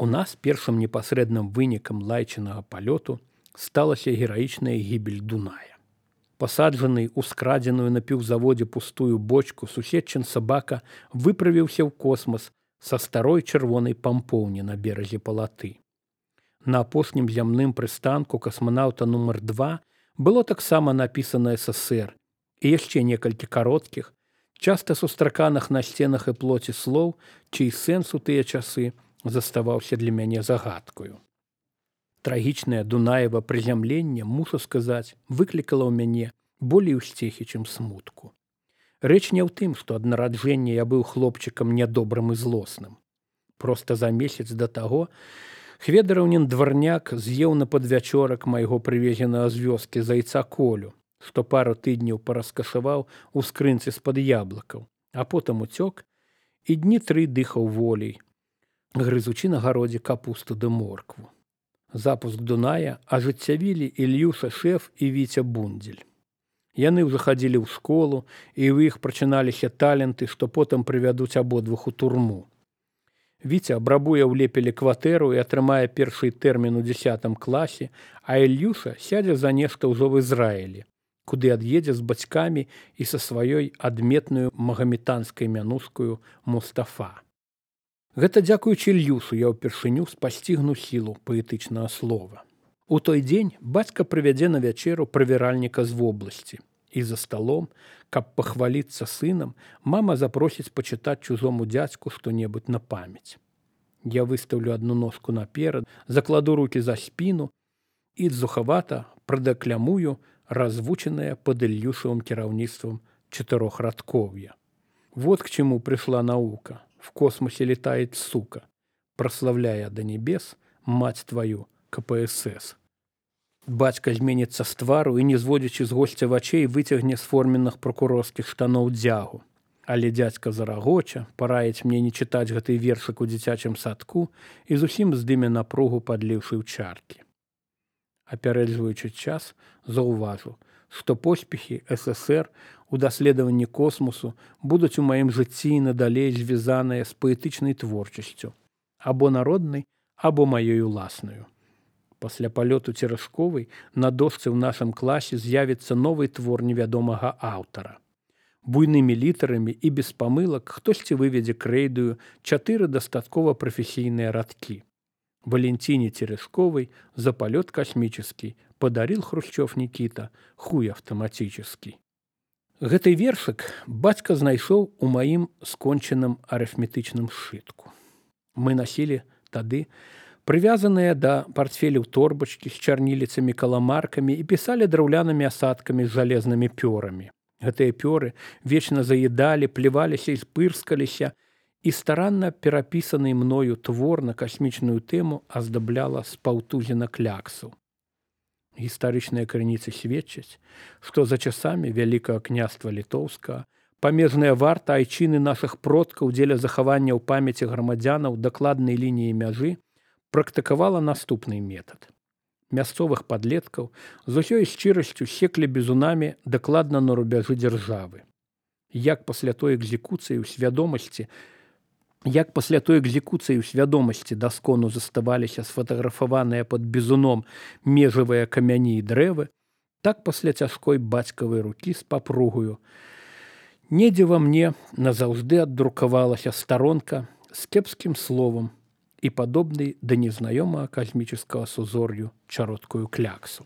У нас першым непасрэдным вынікам лайчынага палёту сталася гераічная гібель Дуная. Пасаджаны ў скрадзеную на піўзаводзе пустую бочку, суседчын сабака выправіўся ў космас са старой чырвонай пампоўні на беразе палаты. На апошнім зямным прыстанку касманаўта нумар 2 было таксама напісана СССР і яшчэ некалькі кароткіх, часта сустраканых на сценах і плоці слоў, чый сэнс у тыя часы заставаўся для мяне загадкаю. Трагічнае Дунаева прызямленне, мушу сказаць, выклікала ў мяне болей усцехі, чым смутку. Рэч не ў тым, што ад нараджэння я быў хлопчыкам нядобрым і злосным. Проста за месяц да таго хведараўнін дварняк з'еў на падвячорак майго прывезенага з вёскі зайца Колю, што пару тыдняў параскашаваў у скрынцы з-пад яблыкаў, а потым уцёк і дні 3 дыхаў волей, грызучы на гародзе капусту ды моркву. Запуск Дуная ажыццявілі Ільюша Шэф і Віця Бундзель. Яны ўжо хадзілі ў школу, і ў іх прачыналіся таленты, што потым прывядуць абодвух у турму. Віця абрабуе ў Лепелі кватэру і атрымае першы тэрмін у 10 класе, а Ільюша сядзе за нешта ўжо в Ізраілі, куды ад'едзе з бацькамі і са сваёй адметнаю магамітанскай мянускаю Мустафа. Гэта дзякуючы Ільюшу я ўпершыню спасцігну сілу паэтычнага слова. У той дзень бацька прывядзе на вячэру правяральніка з вобласці. І за сталом, каб пахваліцца сынам, мама запросіць пачытаць чужому дзядзьку што-небудзь на памяць. Я выстаўлю адну ножку наперад, закладу рукі за спіну і зухавата прадэклямую развучанае пад Ільюшавым кіраўніцтвам 4радкоўе. Вот к чему пришла наука. В космосе летает сука, прославляя до небес мать твою КПСС. Бацька зменіцца з твару і, не зводзячы з госця вачэй, выцягне з форменных прокурорскіх штаноў дзягу. Але дзядзька зарагоча, параіць мне не чытаць гэты вершык у дзіцячым садку і зусім здыме напругу, падліўшы ў чаркі. Апярэджваючы час, заўважу, што поспехі СССР у даследаванні космосу будуць у маім жыцці і надалей звязаныя з паэтычнай творчасцю, або народнай, або маёй уласнаю. Пасля палёту Церэшковай на дошцы ў нашым класе з'явіцца новы твор невядомага аўтара. Буйнымі літарамі і без памылак хтосьці выведзе крэйдаю 4 дастаткова прафесійныя радкі. Валентине Терешковой за полет космический подарил Хрущев Никита хуй автоматический. Гэты вершык бацька знайшоў у маім скончаным арыфметычным сшытку. Мы насілі тады прывязаныя да партфеляў торбачкі з чарніліцамі-каламаркамі і пісалі драўлянымі асадкамі з жалезнымі пёрамі. Гэтыя пёры вечна заедалі, плеваліся і спырскаліся, і старанна перапісаны мною твор на касмічную тэму аздабляла з паўтузіна кляксаў. Гістарычныя крыніцы сведчаць, што за часамі Вялікага княства Літоўскага памежная варта айчыны нашых продкаў дзеля захавання ў памяці грамадзянаў дакладнай лініі мяжы практыкавала наступны метад. Мясцовых падлеткаў з усёй шчырасцю секлі бізунамі дакладна на рубяжы дзяржавы. Як пасля той экзекуцыі ў свядомасці даскону заставаліся сфотаграфаваныя пад бізуном межавыя камяні і дрэвы, так пасля цяжкой бацькавай рукі з папругаю недзе ва мне назаўжды аддрукавалася старонка з кепскім словам і падобнай да незнаёмага касмічнага сузор'ю чароткую кляксу.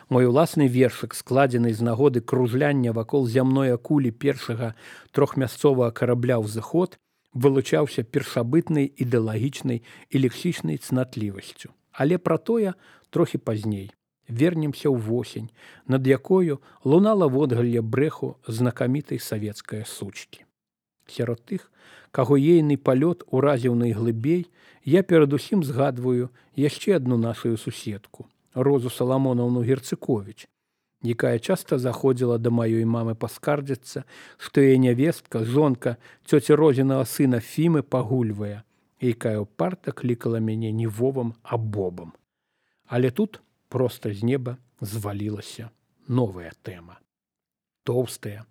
Мой уласны вершык, складзены з нагоды кружляння вакол зямной акулі першага трохмясцовага карабля «Ўзыход», вылучаўся першабытнай ідэалагічнай і лексічнай цнатлівасцю. Але пра тое трохі пазней. Вернемся ў восень, над якою лунала водгалле брэху знакамітай савецкае сучкі. Сярод тых, каго ейны палёт уразіў найглыбей, я перадусім згадваю яшчэ адну нашу суседку, Розу Саламонаўну Герцыковіч, якая часта заходзіла да маёй мамы паскардзіцца, што яе нявестка, жонка цёці Розінага сына Фімы пагульвае, якая ўпарта клікала мяне не Вовам, а Бобам. Але тут проста з неба звалілася новая тэма. тоўстая.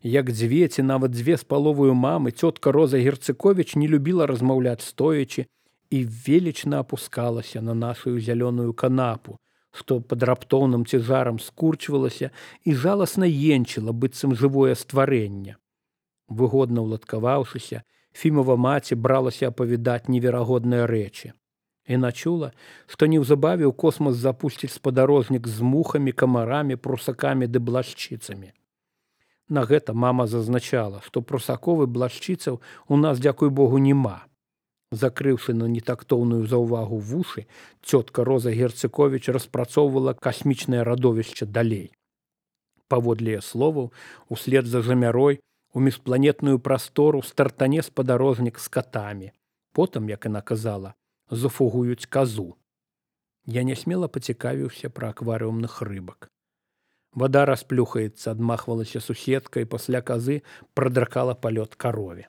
Як дзве ці нават 2,5 мамы, цётка Роза Герцыковіч не любіла размаўляць стоячы і велічна апускалася на нашу зялёную канапу, што пад раптоўным цяжарам скурчвалася і жаласна енчыла, быццам жывое стварэнне. Выгодна ўладкаваўшыся, Фімова маці бралася апавядаць неверагодныя рэчы. Яна чула, што неўзабаве ў космас запусціць спадарожнік з мухамі, камарамі, прусакамі ды блашчыцамі. На гэта мама зазначала, што прусаков і блашчыцаў у нас, дзякуй Богу, няма. Закрыўшы на нетактоўную заўвагу вушы, цётка Роза Герцыковіч распрацоўвала касмічнае радовішча далей. Паводле яе словаў, услед за жамярой у міжпланетную прастору стартане спадарожнік з катамі. Потым, як яна казала, зафугуюць казу. Я нясмела пацікавіўся пра акварыумных рыбак. Вада расплюхаецца, адмахвалася суседка і пасля казы прадракала палёт карове.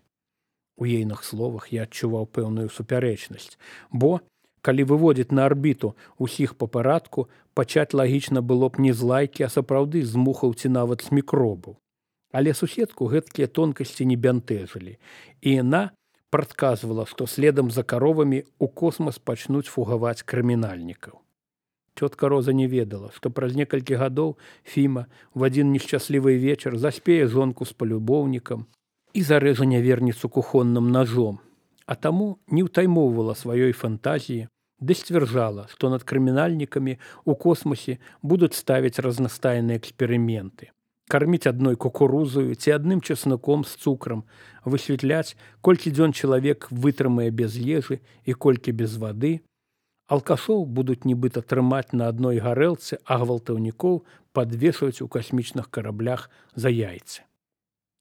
У ейных словах я адчуваў пэўную супярэчнасць, бо, калі выводзіць на арбіту ўсіх па парадку, пачаць лагічна было б не з лайкі, а сапраўды з мухаў ці нават з мікробаў. Але суседку гэткія тонкасці не бянтэжылі, і яна прадказвала, што следам за каровамі ў космас пачнуць фугаваць крымінальнікаў. Цётка Роза не ведала, што праз некалькі гадоў Фіма в адзін нешчаслівы вечар заспее жонку з палюбоўнікам і зарэжа няверніцу кухонным ножом, а таму не ўтаймоўвала сваёй фантазіі, ды сцвярджала, што над крымінальнікамі ў космосе будуць ставіць разнастайныя эксперыменты, карміць адной кукурузою ці адным чесноком з цукрам, высветляць, колькі дзён чалавек вытрымае без ежы і колькі без вады. Алкашоў будуць нібыта трымаць на адной гарэлцы, а гвалтаўнікоў падвешваць у касмічных караблях за яйцы.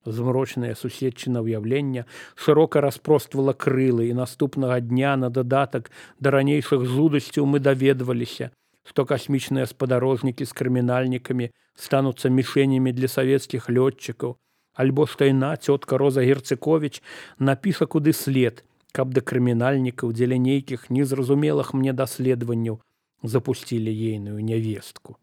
Змрочнае суседчына ўяўлення шырока распроствала крылы, і наступнага дня на дадатак да ранейшых жудасцяў мы даведваліся, што касмічныя спадарожнікі з крымінальнікамі стануцца мішэнямі для савецкіх лётчыкаў, альбо што яна, цётка Роза Герцыковіч, напіша куды след, каб да крымінальнікаў дзеля нейкіх незразумелых мне даследаванняў запусцілі ейную нявестку.